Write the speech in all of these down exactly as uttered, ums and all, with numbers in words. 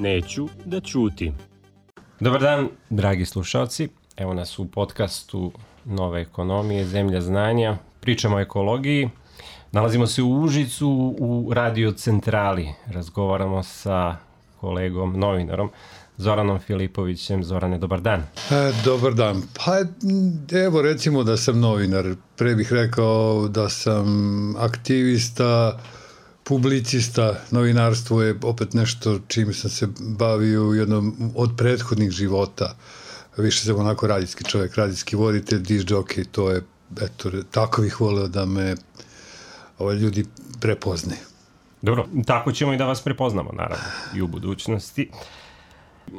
Neću da ćutim. Dobar dan, dragi slušalci. Evo nas u podcastu Nove ekonomije, Zemlja znanja. Pričamo o ekologiji. Nalazimo se u Užicu u Radio centrali. Razgovaramo sa kolegom, novinarom, Zoranom Filipovićem. Zorane, dobar dan. E, dobar dan. Pa evo recimo da sam novinar. Pre bih rekao da sam aktivista, publicista. Novinarstvo je opet nešto čime sam se bavio u jednom od prethodnih života. Više sam onako radijski čovjek, radijski voditelj, disc jockey, to je, eto, tako bih voleo da me ovaj, ljudi prepoznaju. Dobro, tako ćemo i da vas prepoznamo, naravno, i u budućnosti.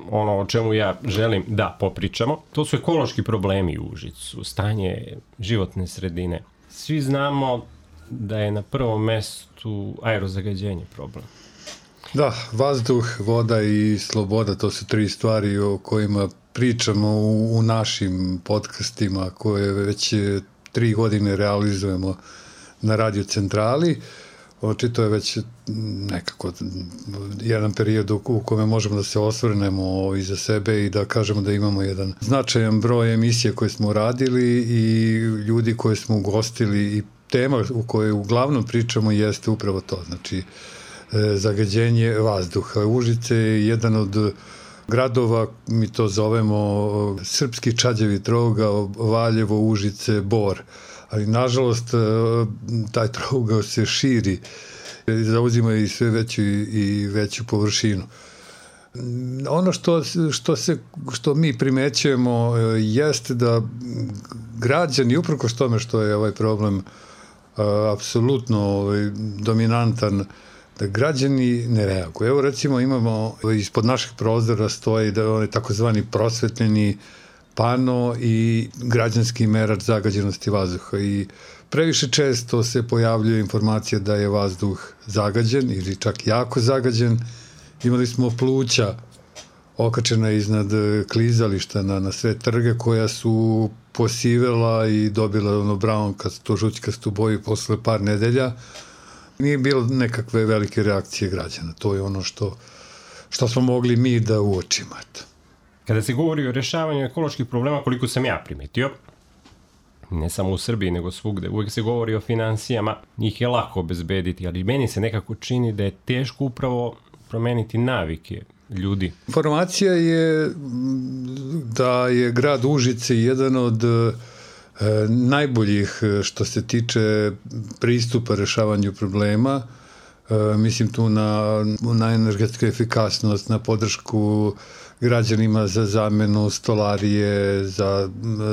Ono o čemu ja želim da popričamo, to su ekološki problemi u Užicu, stanje životne sredine. Svi znamo da je na prvom mestu aerozagađenje problem. Da, vazduh, voda i sloboda, to su tri stvari o kojima pričamo u, u našim podcastima koje već tri godine realizujemo na Radio centrali. Očito je već nekako jedan period u kome možemo da se osvrnemo iza sebe i da kažemo da imamo jedan značajan broj emisija koje smo radili i ljudi koje smo ugostili i tema u kojoj uglavnom pričamo jeste upravo to, znači zagađenje vazduha. Užice je jedan od gradova, mi to zovemo srpski čađavi trougao, Valjevo, Užice, Bor. Ali nažalost taj trougao se širi, zauzima i sve veću i veću površinu. Ono što, što, se, što mi primećujemo jeste da građani, uprkos tome što je ovaj problem apsolutno dominantan, da građani ne reaguju. Evo recimo imamo, ispod naših prozora stoji da on je takozvani prosvetljeni pano i građanski merač zagađenosti vazduha i previše često se pojavljuje informacija da je vazduh zagađen ili čak jako zagađen. Imali smo pluća okačena iznad klizališta na, na sve trge koja su posivela i dobila ono brown-kastu, žućkastu boju posle par nedelja. Nije bilo nekakve velike reakcije građana. To je ono što, što smo mogli mi da uočimo. Kada se govori o rješavanju ekoloških problema, koliko sam ja primetio, ne samo u Srbiji, nego svugde, uvijek se govori o finansijama, njih je lako obezbediti, ali meni se nekako čini da je teško upravo promeniti navike ljudi. Informacija je da je grad Užice jedan od e, najboljih što se tiče pristupa rešavanju problema. E, mislim tu na, na energetsku efikasnost, na podršku građanima za zamenu stolarije, za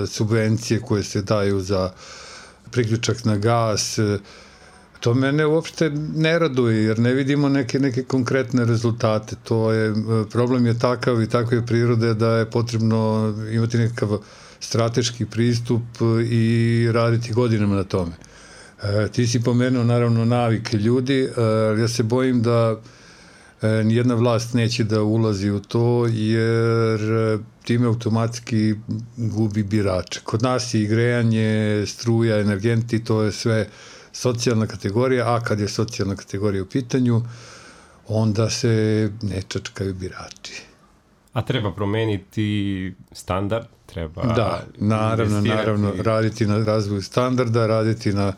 subvencije koje se daju za priključak na gas. To mene uopšte ne raduje jer ne vidimo neke, neke konkretne rezultate. To je, problem je takav i takve prirode da je potrebno imati nekakav strateški pristup i raditi godinama na tome. E, ti si pomenuo naravno navike ljudi, e, ja se bojim da e, nijedna vlast neće da ulazi u to jer time automatski gubi birače. Kod nas je i grejanje, struja, energenti, to je sve socijalna kategorija, a kad je socijalna kategorija u pitanju, onda se ne čačkaju birači. A treba promeniti standard, treba da, naravno, naravno, raditi na razvoju standarda, raditi na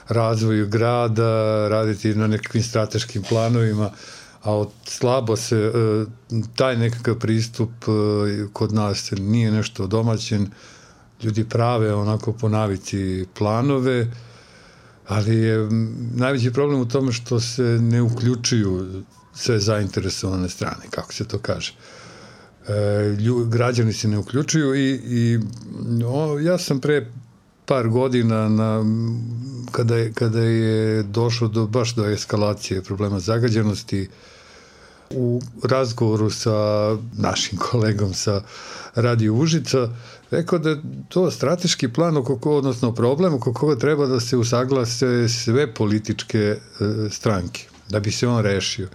razvoju grada, raditi na nekakvim strateškim planovima, a od slabo se taj nekakav pristup kod nas nije nešto domaćen, ljudi prave onako po navici planove, ali je najveći problem u tome što se ne uključuju sve zainteresovane strane, kako se to kaže. E, lju, građani se ne uključuju i, i o, ja sam pre par godina na, kada, je, kada je došlo do, baš do eskalacije problema zagađenosti u razgovoru sa našim kolegom sa Radio Užica rekao da je to strateški plan oko koga, odnosno problem oko koga treba da se usaglase sve političke e, stranke da bi se on rešio.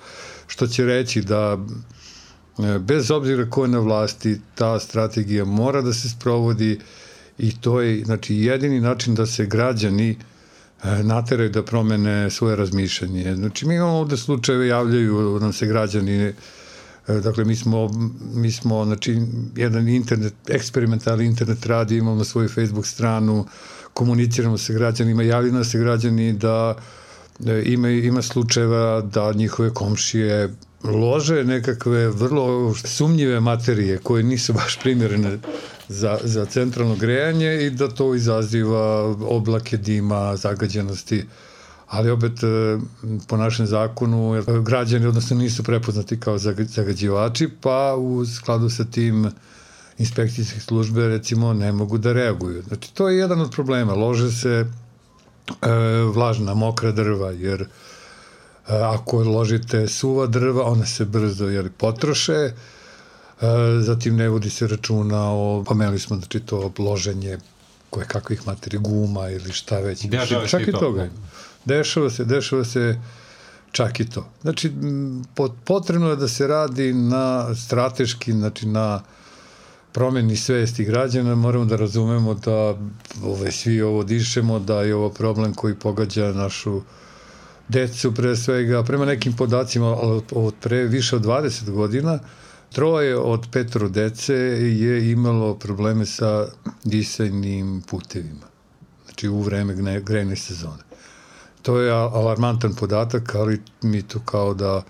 Što će reći da e, bez obzira ko je na vlasti, ta strategija mora da se sprovodi i to je znači jedini način da se građani e, nateraju da promene svoje razmišljanje. Znači mi imamo ovde slučajeve, javljaju nam se građani Dakle, mi smo, mi smo znači, jedan internet, eksperimentalni internet radi, imamo svoju Facebook stranu, komuniciramo sa građanima, javljaju nas se građani da ima, ima slučajeva da njihove komšije lože nekakve vrlo sumnjive materije koje nisu baš primjerene za, za centralno grejanje i da to izaziva oblake dima, zagađenosti. Ali opet, po našem zakonu, građani odnosno nisu prepoznati kao zagađivači, pa u skladu sa tim inspekcijske službe, recimo, ne mogu da reaguju. Znači, to je jedan od problema. Lože se e, vlažna, mokra drva, jer e, ako ložite suva drva, ona se brzo jer, potroše, e, zatim ne vodi se računa o, pomenuli smo, znači, to loženje koje kakvih materija, guma ili šta već. Dešava čak i to. toga. Dešava se, dešava se čak i to. Znači, potrebno je da se radi na strateški, znači na promeni svesti građana, moramo da razumemo da ove, svi ovo dišemo, da je ovo problem koji pogađa našu decu pre svega. Prema nekim podacima od pre više od dvadeset godina, troje od petoro dece je imalo probleme sa disajnim putevima. Znači u vreme grejne sezone. To je alarmantan podatak, ali mi to kao da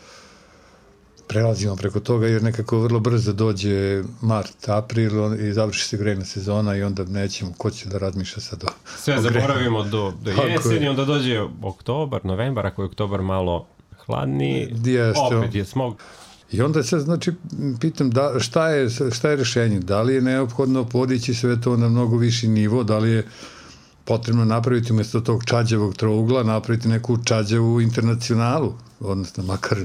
prelazimo preko toga, jer nekako vrlo brzo dođe mart, april i završi se grejna sezona i onda nećemo, ko će da razmišlja sad o Sve o zaboravimo do, do jeseni, onda dođe oktobar, novembar, ako je oktobar malo hladniji, Jeste, opet je smog. I onda se, znači, pitam da, šta, je, šta je rešenje? Da li je neophodno podići sve to na mnogo viši nivo, da li je potrebno napraviti umjesto tog čađavog trougla, napraviti neku čađavu internacionalu, odnosno makar,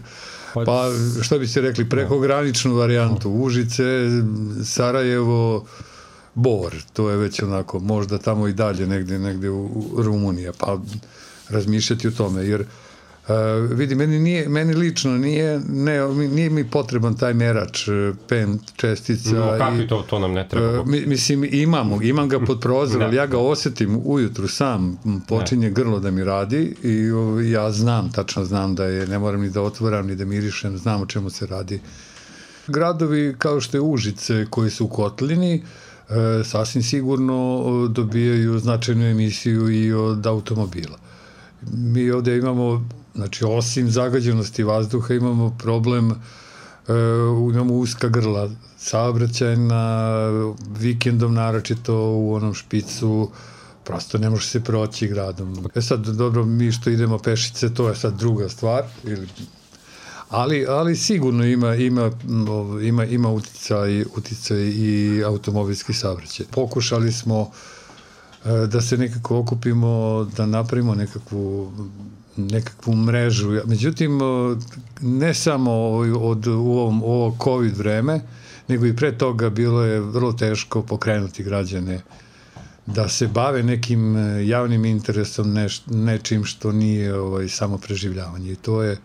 pa što bi se rekli, prekograničnu varijantu, Užice, Sarajevo, Bor, to je već onako, možda tamo i dalje, negde, negde u, u Rumunija, pa razmišljati o tome, jer Uh, vidi, meni, nije, meni lično nije, ne, nije mi potreban taj merač P M čestica. No, kakvi to, to nam ne treba? Uh, mislim, imam, imam ga pod prozorom, ali ja ga osetim ujutru sam, počinje ne. grlo da mi radi i uh, ja znam, tačno znam da je, ne moram ni da otvaram, ni da mirišem, znam o čemu se radi. Gradovi kao što je Užice koji su u kotlini, uh, sasvim sigurno dobijaju značajnu emisiju i od automobila. Mi ovde imamo, znači, osim zagađenosti vazduha, imamo problem, e, imamo uska grla saobraćajna, vikendom naročito u onom špicu, prosto ne može se proći gradom. E sad, dobro, mi što idemo pešice, to je sad druga stvar, ili, ali, ali sigurno ima, ima, ima, ima uticaj, uticaj i automobilski saobraćaj. Pokušali smo da se nekako okupimo, da napravimo nekakvu, nekakvu mrežu. Međutim, ne samo od, u ovom, ovo COVID vreme, nego i pre toga bilo je vrlo teško pokrenuti građane da se bave nekim javnim interesom, neš, nečim što nije ovaj, samo preživljavanje. I to je,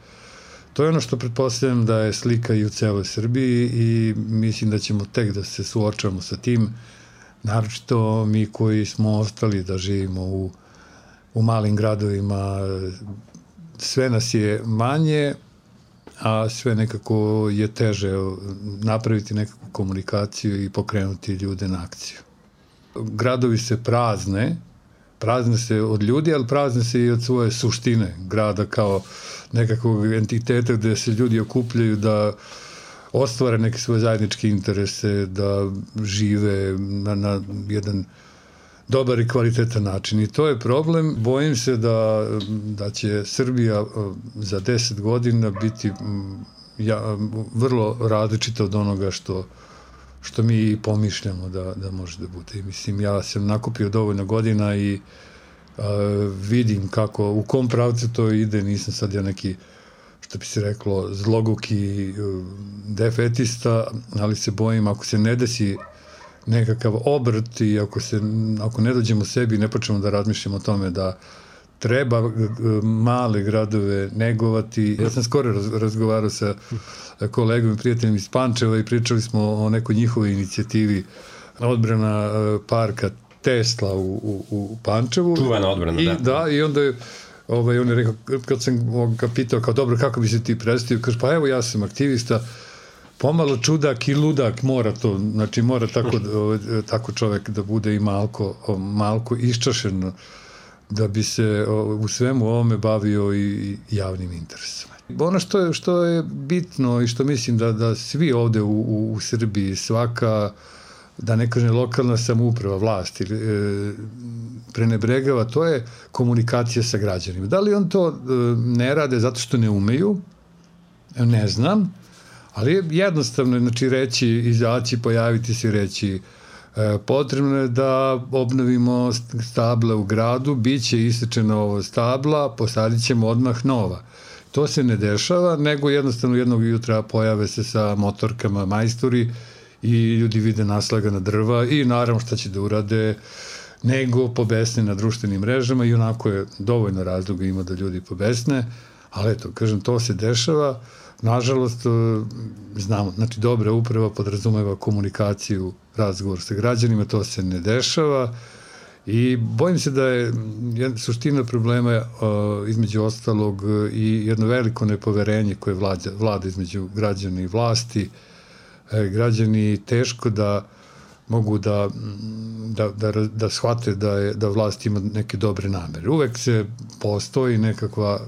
to je ono što pretpostavljam da je slika i u celoj Srbiji i mislim da ćemo tek da se suočamo sa tim, naročito mi koji smo ostali da živimo u, u malim gradovima, sve nas je manje, a sve nekako je teže napraviti nekakvu komunikaciju i pokrenuti ljude na akciju. Gradovi se prazne, prazne se od ljudi, ali prazne se i od svoje suštine grada kao nekakvog entiteta gde se ljudi okupljaju da ostvare neke svoje zajedničke interese, da žive na, na jedan dobar i kvalitetan način. I to je problem. Bojim se da, da će Srbija za deset godina biti ja, vrlo različita od onoga što, što mi pomišljamo da, da može da bude. I mislim, ja sam nakupio dovoljno godina i a, vidim kako, u kom pravcu to ide, nisam sad ja neki, što bi se reklo, zloguki defetista, ali se bojim ako se ne desi nekakav obrt i ako, se, ako ne dođemo sebi i ne počnemo da razmišljamo o tome da treba male gradove negovati. Ja sam skoro razgovarao sa kolegom i prijateljem iz Pančeva i pričali smo o nekoj njihovoj inicijativi odbrana parka Tesla u, u, u Pančevu. Čuvena odbrana, I, da. Da, i onda je Ovaj, on je rekao, kad sam ga pitao kao dobro, kako bi se ti predstavio, kaže, pa evo ja sam aktivista, pomalo čudak i ludak mora to, znači mora tako, tako čovek da bude i malko, malko iščašen da bi se u svemu ovome bavio i javnim interesom. Ono što je, što je bitno i što mislim da, da svi ovde u, u, u Srbiji, svaka, da ne kažem lokalna samouprava, vlast ili, e, prenebregava, to je komunikacija sa građanima. Da li on to e, ne rade zato što ne umeju? Ne znam, ali je jednostavno, znači, reći, izaći, pojaviti se, reći e, potrebno je da obnovimo stabla u gradu, bit će isečena ovo stabla, posadit ćemo odmah nova. To se ne dešava, nego jednostavno jednog jutra pojave se sa motorkama majstori i ljudi vide naslagana drva i naravno šta će da urade, nego pobesne na društvenim mrežama i onako je dovoljno razloga ima da ljudi pobesne, ali eto, kažem, to se dešava. Nažalost, znamo, znači dobra uprava podrazumeva komunikaciju, razgovor sa građanima, to se ne dešava i bojim se da je suština problema uh, između ostalog i jedno veliko nepoverenje koje vlada, vlada između građana i vlasti. E, građani teško da mogu da, da, da, da shvate da, je, da vlast ima neke dobre namere. Uvek se postoji nekakva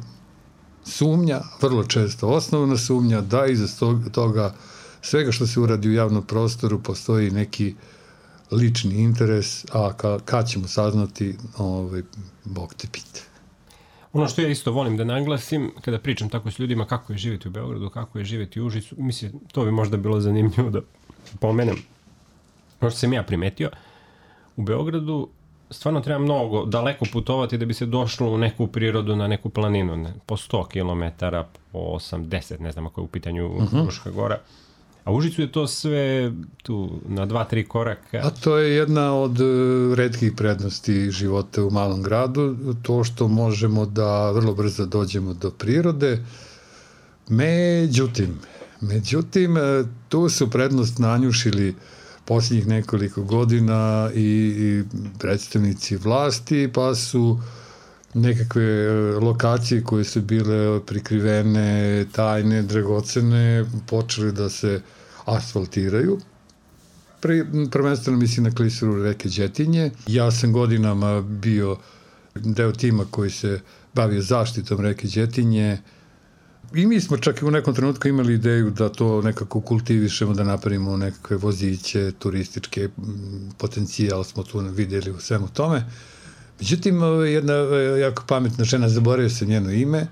sumnja, vrlo često osnovna sumnja, da iza toga svega što se uradi u javnom prostoru postoji neki lični interes, a ka, kad ćemo saznati, ovaj, Bog te pite. Ono što ja isto volim da naglasim, kada pričam tako s ljudima kako je živjeti u Beogradu, kako je živjeti u Užicu, mislim, to bi možda bilo zanimljivo da pomenem. Ono što sam ja primetio, u Beogradu stvarno treba mnogo daleko putovati da bi se došlo u neku prirodu, na neku planinu, ne, po sto kilometara, po osamdeset, ne znam ako je u pitanju uh-huh. Fruška gora. A u Užicu je to sve tu na dva, tri koraka. A to je jedna od retkih prednosti života u malom gradu, to što možemo da vrlo brzo dođemo do prirode. Međutim, međutim, tu su prednost nanjušili posljednjih nekoliko godina i, i predstavnici vlasti, pa su nekakve lokacije koje su bile prikrivene, tajne, dragocene, počeli da se asfaltiraju. Pri, prvenstveno mislim na klisuru reke Đetinje. Ja sam godinama bio deo tima koji se bavio zaštitom reke Đetinje i mi smo čak i u nekom trenutku imali ideju da to nekako kultivišemo, da napravimo nekakve voziće, turističke potencijal smo tu vidjeli u svemu tome. Međutim, jedna jako pametna žena, zaboravio sam njeno ime,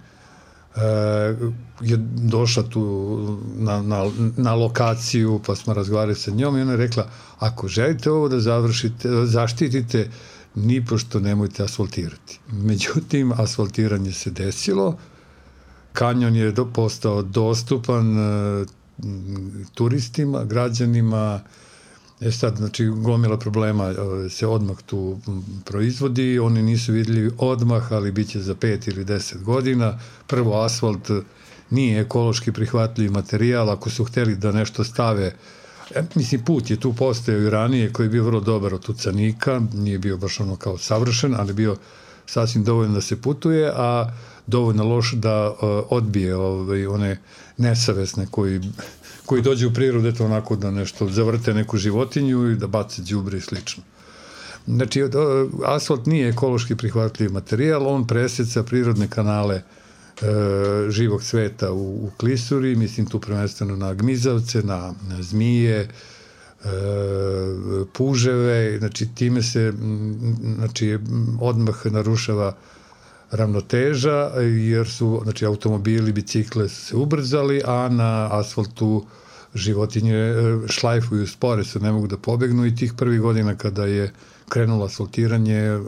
je došla tu na, na, na lokaciju, pa smo razgovarali sa njom i ona je rekla, ako želite ovo da završite, zaštitite, nipošto nemojte asfaltirati. Međutim, asfaltiranje se desilo, kanjon je do, postao dostupan uh, turistima, građanima. E sad, znači, gomila problema uh, se odmah tu proizvodi, oni nisu vidljivi odmah, ali bit će za pet ili deset godina. Prvo, asfalt nije ekološki prihvatljiv materijal, ako su hteli da nešto stave, e, mislim, put je tu postojao i ranije, koji je bio vrlo dobar od tucanika, nije bio baš ono kao savršen, ali bio sasvim dovoljno da se putuje, a dovoljno loš da uh, odbije ovaj, one nesavesne koji, koji dođe u prirodu, eto onako da nešto zavrte neku životinju i da bace đubre i slično. Znači, uh, asfalt nije ekološki prihvatljiv materijal, on preseca prirodne kanale uh, živog sveta u, u klisuri, mislim tu prvenstveno na gmizavce, na, na zmije, uh, puževe, znači time se znači, odmah narušava ravnoteža, jer su, znači, automobili, bicikle su se ubrzali, a na asfaltu životinje šlajfuju spore, se ne mogu da pobegnu i tih prvih godina kada je krenulo asfaltiranje,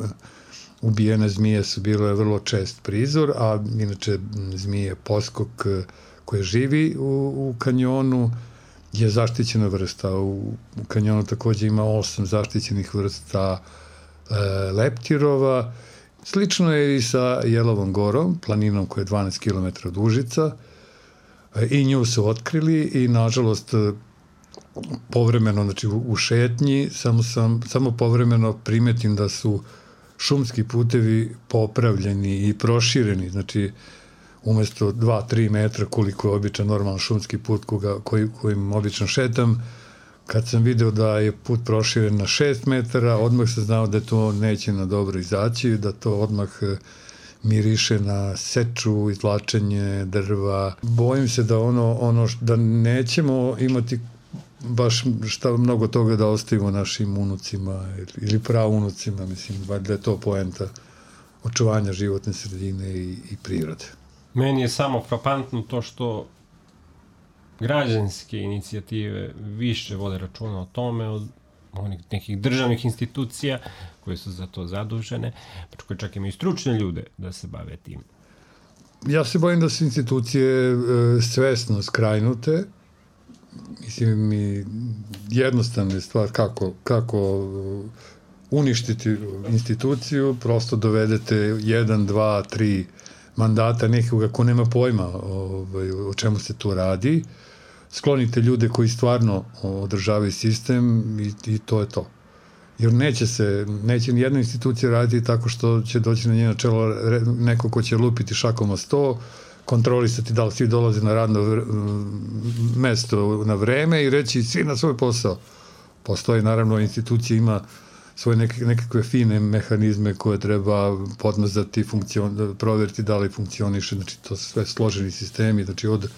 ubijene zmije su bile vrlo čest prizor, a inače zmije poskok koje živi u, u kanjonu je zaštićena vrsta. U, u kanjonu takođe ima osam zaštićenih vrsta e, leptirova. Slično je i sa Jelovom gorom, planinom koja je dvanaest kilometara od Užica, i nju su otkrili i nažalost povremeno, znači u šetnji, samo, sam, samo povremeno primetim da su šumski putevi popravljeni i prošireni, znači umesto dva do tri metra koliko je običan normalan šumski put koga, koji, kojim obično šetam. Kad sam video da je put proširen na šest metara, odmah sam znao da to neće na dobro izaći, da to odmah miriše na seču, izvlačenje drva. Bojim se da ono, ono da nećemo imati baš šta mnogo toga da ostavimo našim unucima ili praunucima, mislim, da je to poenta očuvanja životne sredine i, i prirode. Meni je samo frapantno to što građanske inicijative više vode računa o tome od onih nekih državnih institucija koje su za to zadužene, pa koje čak imaju stručne ljude da se bave tim. Ja se bojim da su institucije e, svesno skrajnute. Mislim, mi jednostavna je stvar kako, kako uništiti instituciju, prosto dovedete jedan, dva, tri mandata nekoga ko nema pojma ovaj, o čemu se tu radi, sklonite ljude koji stvarno održavaju sistem i, i to je to. Jer neće se, neće ni jedna institucija raditi tako što će doći na njeno čelo neko ko će lupiti šakom o sto, kontrolisati da li svi dolaze na radno mesto na vreme i reći svi na svoj posao. Postoji, naravno, institucija ima svoje neke, nekakve fine mehanizme koje treba podmazati, funkcion, proveriti da li funkcioniše, znači to su sve složeni sistemi, znači od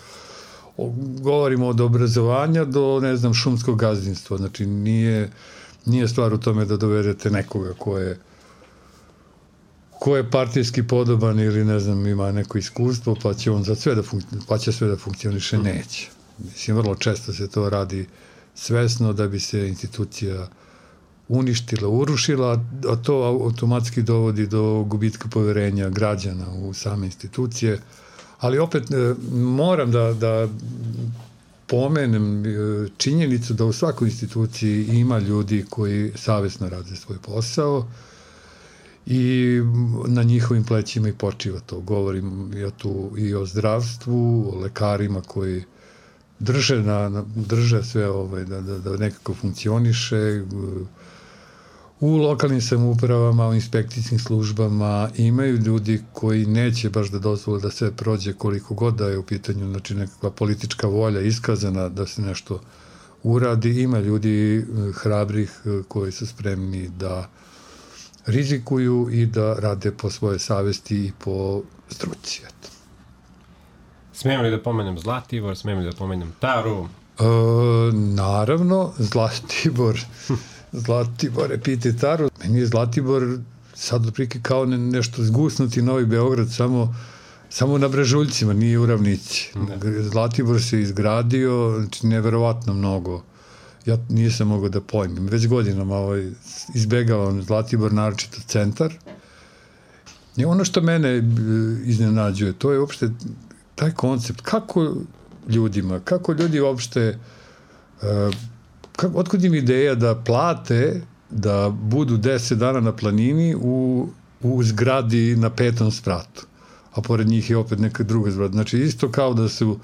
govorimo od obrazovanja do, ne znam, šumskog gazdinstva, znači nije, nije stvar u tome da dovedete nekoga ko je ko je partijski podoban ili, ne znam, ima neko iskustvo, pa će on za sve da, fun, pa će sve da funkcioniše, neće. Mislim, vrlo često se to radi svesno da bi se institucija uništila, urušila, a to automatski dovodi do gubitka poverenja građana u same institucije. Ali opet moram da, da pomenem činjenicu da u svakoj instituciji ima ljudi koji savesno rade svoj posao i na njihovim plećima i počiva to. Govorim ja tu i o zdravstvu, o lekarima koji drže, na, na, drže sve ovaj, da, da, da nekako funkcioniše, u lokalnim samoupravama, u inspekcijskim službama imaju ljudi koji neće baš da dozvole da sve prođe koliko god da je u pitanju, znači nekakva politička volja iskazana da se nešto uradi. Ima ljudi hrabrih koji su spremni da rizikuju i da rade po svoje savesti i po struci. Smijem li da pomenem Zlatibor, smijem li da pomenem Taru? E, naravno, Zlatibor... Zlatibore, pite Taru. Meni je Zlatibor sad otprilike kao ne, nešto zgusnuti Novi Beograd, samo, samo na Brežuljcima, nije u ravnici. Ne. Zlatibor se izgradio, znači neverovatno mnogo. Ja nisam mogao da pojmim. Već godinama ovaj, izbegavam Zlatibor, naročito centar. I ono što mene iznenađuje, to je uopšte taj koncept. Kako ljudima, kako ljudi uopšte... Uh, Kako, otkud im ideja da plate da budu deset dana na planini u, u zgradi na petom spratu, a pored njih je opet neka druga zgrada. Znači isto kao da su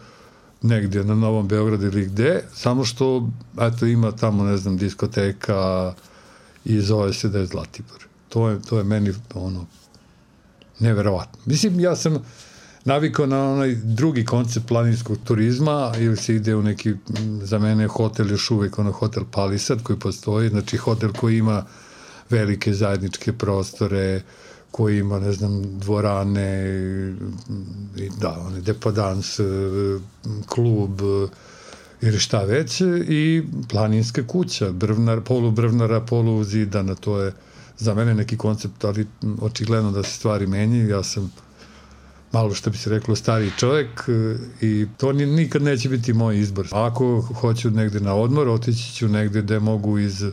negdje na Novom Beogradu ili gde, samo što eto, ima tamo, ne znam, diskoteka i zove se da je Zlatibor. To je, to je meni ono neverovatno. Mislim, ja sam navikao na onaj drugi koncept planinskog turizma, ili se ide u neki, za mene hotel još uvek, ono hotel Palisad koji postoji, znači hotel koji ima velike zajedničke prostore, koji ima, ne znam, dvorane, da, one, depadans, klub, ili šta već, i planinska kuća, brvnar, polu brvnara, polu zidana, to je za mene neki koncept, ali očigledno da se stvari menjaju, ja sam malo što bi se reklo stariji čovjek i to nikad neće biti moj izbor. Ako hoću negde na odmor, otići ću negde gde mogu iz,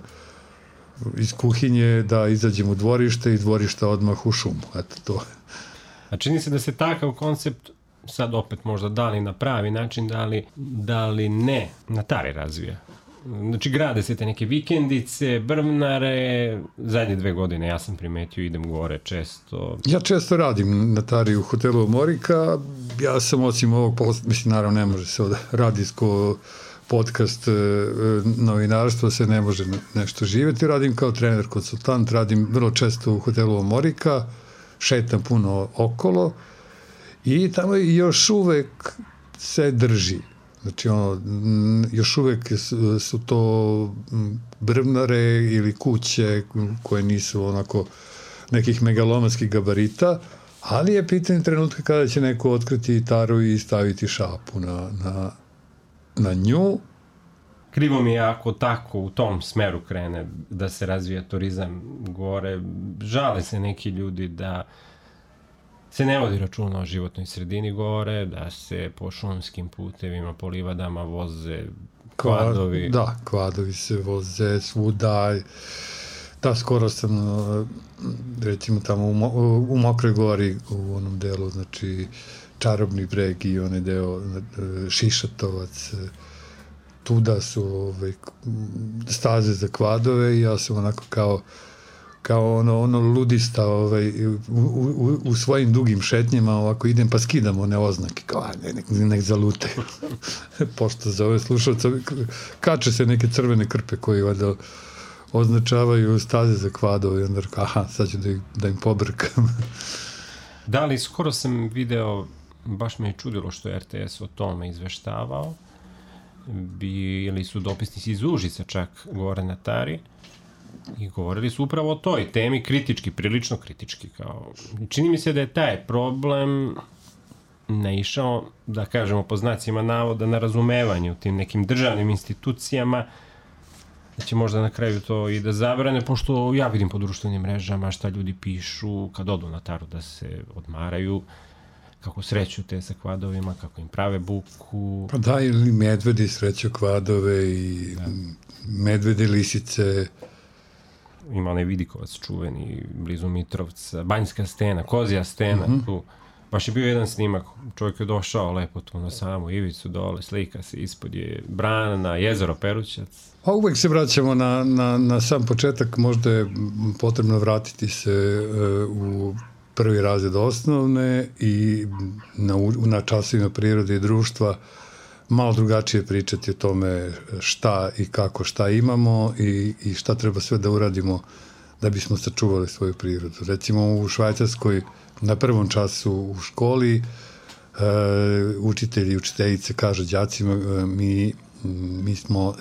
iz kuhinje da izađem u dvorište i dvorišta odmah u šumu. Eto to. A čini se da se takav koncept sad opet možda da li na pravi način, da li, da li ne na Tari razvija. Znači grade se te neke vikendice, brvnare, zadnje dve godine ja sam primetio, idem gore često. Ja često radim na Tari u hotelu Morika, ja sam osim ovog posla, mislim naravno ne može se od radijsko podcast novinarstva se ne može nešto živjeti, radim kao trener, konsultant, radim vrlo često u hotelu Morika, šetam puno okolo I tamo još uvek se drži. Znači, ono, još uvek su, su to brvnare ili kuće koje nisu onako nekih megalomanskih gabarita, ali je pitanje trenutka kada će neko otkriti gitaru i staviti šapu na, na, na nju. Krivo mi je ako tako u tom smeru krene da se razvija turizam gore. Žale se neki ljudi da se ne vodi računa o životnoj sredini gore, da se po šumskim putevima, po livadama voze kvadovi. Da, kvadovi se voze svuda. Da, skoro sam, recimo tamo u, u Mokroj gori, u onom delu, znači Čarobni breg i onaj deo Šišatovac, tuda su ovaj, staze za kvadove i ja sam onako kao kao ono, ono ludista ovaj, u, u, u svojim dugim šetnjama ovako idem pa skidam one oznake kao a, ne, nek, nek zalute pošto za ove slušalce kače se neke crvene krpe koji vada označavaju staze za kvadove i onda aha, sad ću da, ih, da im pobrkam. Da, ali skoro sam video, baš me je čudilo što je R T S o tome izveštavao, bili su dopisnici iz Užica čak gore na Tari i govorili su upravo o toj temi kritički, prilično kritički. Kao. Čini mi se da je taj problem naišao, da kažemo po znacima navoda, na razumevanje u tim nekim državnim institucijama, da će možda na kraju to i da zabrane, pošto ja vidim po društvenim mrežama šta ljudi pišu kad odu na Taru da se odmaraju, kako sreću te sa kvadovima, kako im prave buku. Pa da, ili medvedi sreću kvadove i da. Medvedi, lisice. Ima onaj Vidikovac čuveni, blizu Mitrovca, Banjska stena, Kozija stena, mm-hmm. tu. Baš je bio jedan snimak, čovjek je došao lepo tu na samu ivicu dole, slika se, ispod je brana, jezero Perućac. A uvek se vraćamo na, na, na sam početak, možda je potrebno vratiti se uh, u prvi razred osnovne i na, na časovima prirode i društva malo drugačije pričati o tome šta i kako šta imamo i, i šta treba sve da uradimo da bismo sačuvali svoju prirodu. Recimo u Švajcarskoj na prvom času u školi uh, učitelji i učiteljice kažu đacima uh, mi, mi smo uh,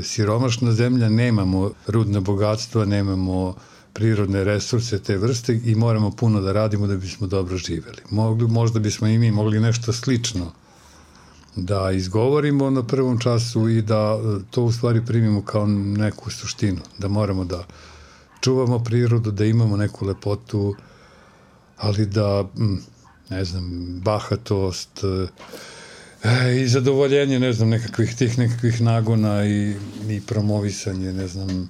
siromašna zemlja, nemamo rudna bogatstva, nemamo prirodne resurse te vrste i moramo puno da radimo da bismo dobro živeli. Mogli, možda bismo i mi mogli nešto slično da izgovorimo na prvom času i da to u stvari primimo kao neku suštinu, da moramo da čuvamo prirodu, da imamo neku lepotu, ali da, ne znam, bahatost e, i zadovoljenje, ne znam, nekakvih tih nekakvih nagona i, i promovisanje, ne znam,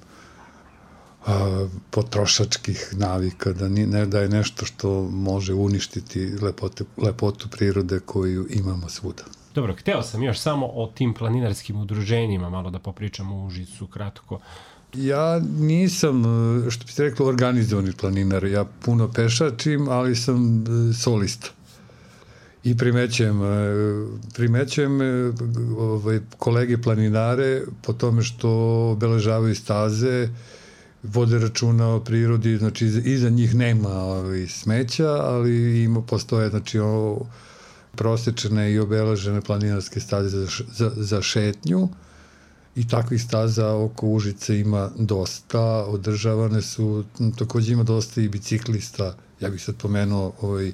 a, potrošačkih navika, da, ni, ne, da je nešto što može uništiti lepote, lepotu prirode koju imamo svuda. Dobro, hteo sam još samo o tim planinarskim udruženjima malo da popričamo u Užicu kratko. Ja nisam, što bi se reklo, organizovani planinar. Ja puno pešačim, ali sam solista. I primećujem, primećujem ovaj, kolege planinare po tome što obeležavaju staze, vode računa o prirodi, znači iza njih nema ovaj, smeća, ali ima, postoje, znači, o, prosečene i obeležene planinarske staze za, za, za šetnju i takvih staza oko Užice ima dosta, održavane su, takođe ima dosta i biciklista, ja bih sad pomenuo ovaj,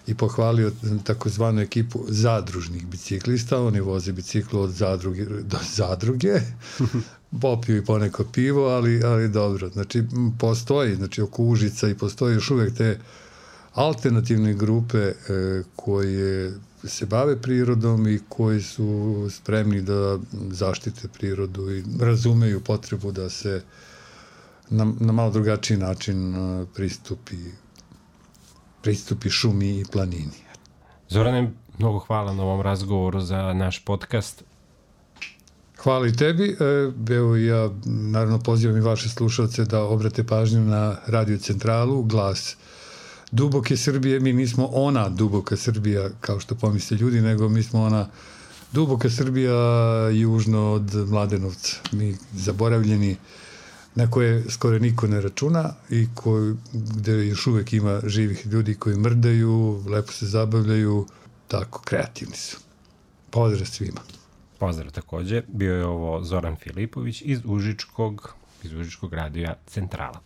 i pohvalio takozvanu ekipu zadružnih biciklista, oni voze biciklu od zadruge do zadruge, popiju i poneko pivo, ali, ali dobro, znači postoji, znači oko Užica i postoji još uvek te alternativne grupe e, koje se bave prirodom i koji su spremni da zaštite prirodu i razumeju potrebu da se na, na malo drugačiji način a, pristupi, pristupi šumi i planini. Zorane, mnogo hvala na ovom razgovoru za naš podcast. Hvala i tebi. E, evo ja naravno pozivam i vaše slušalce da obrate pažnju na Radio Centralu, Glas duboke Srbije. Mi nismo ona duboka Srbija, kao što pomisle ljudi, nego mi smo ona duboka Srbija južno od Mladenovca. Mi zaboravljeni na koje skoro niko ne računa i koji, gde još uvek ima živih ljudi koji mrdaju, lepo se zabavljaju, tako, kreativni su. Pozdrav svima. Pozdrav takođe. Bio je ovo Zoran Filipović iz Užičkog, iz Užičkog radija Centrala.